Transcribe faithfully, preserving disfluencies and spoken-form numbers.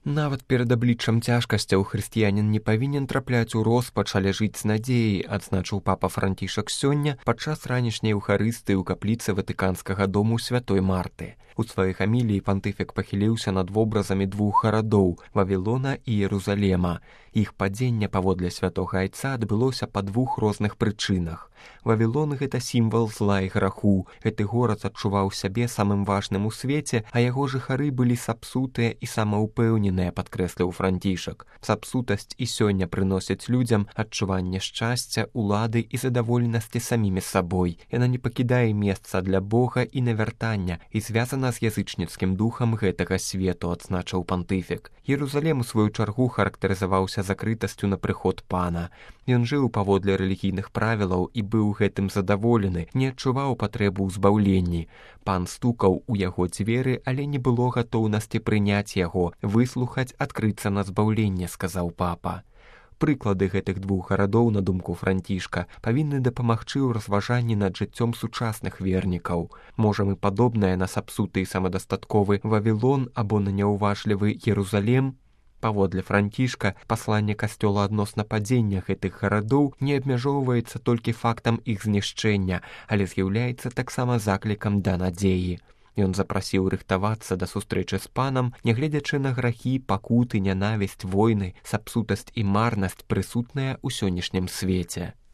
Нават перад абліччам цяжкасцяў хрысціянін не павінен трапляць у роспач, але жыць з надзеяй, адзначыў папа Францішак сёння падчас ранішняй еўхарыстыі ў капліцы Ватыканскага дому святой Марты. У сваёй хаміліі пантыфік пахіліўся над вобразамі двух гарадоў – Вавілона і Єрузалема. Іх падзенне паводле святога айца адбылося па двух розных прычынах. Вавілон – гэта сімвал зла і граху. Гэты горад адчуваў сябе самым важным у свеце, а яго жыхары былі сапсутыя і самаўпэўненыя, падкрэсліў Францішак. Сапсутасць і сёння прыносіць людзям адчуванне шчасця, улады і задаволенасці самімі сабой. Яна не пакідае месца для Бога і навяртання і звязана з язычніцкім духам гэтага свету, адзначыў пантыфік. Єрузалем, у сваю чаргу, характарызаваўся закрытасцю на прыход пана. Ён жыў паводле рэлігійных правілаў і быў гэтым задаволены, не адчуваў патрэбу ў збаўленні. Пан стукаў у яго дзверы, але не было гатоўнасці прыняць яго, выслухаць, адкрыцца на збаўленне, сказаў папа. Прыклады гэтых двух гарадоў, на думку Францішка, павінны дапамагчы ў разважанні над жыццём сучасных вернікаў. Можа, мы падобнае на сапсуты і самадастатковы Вавілон або на няўважлівы Єрузалем? Паводле Францішка, пасланне касцёла адносна падзення гэтых гарадоў не абмяжоўваецца толькі фактам іх знішчэння, але з'яўляецца таксама заклікам да надзеі. Ён запрасіў рыхтавацца да сустрэчы з панам, нягледзячы на грахі, пакуты, нянавісць, войны, сапсутасць і марнасць, прысутныя ў сённяшнім свеце.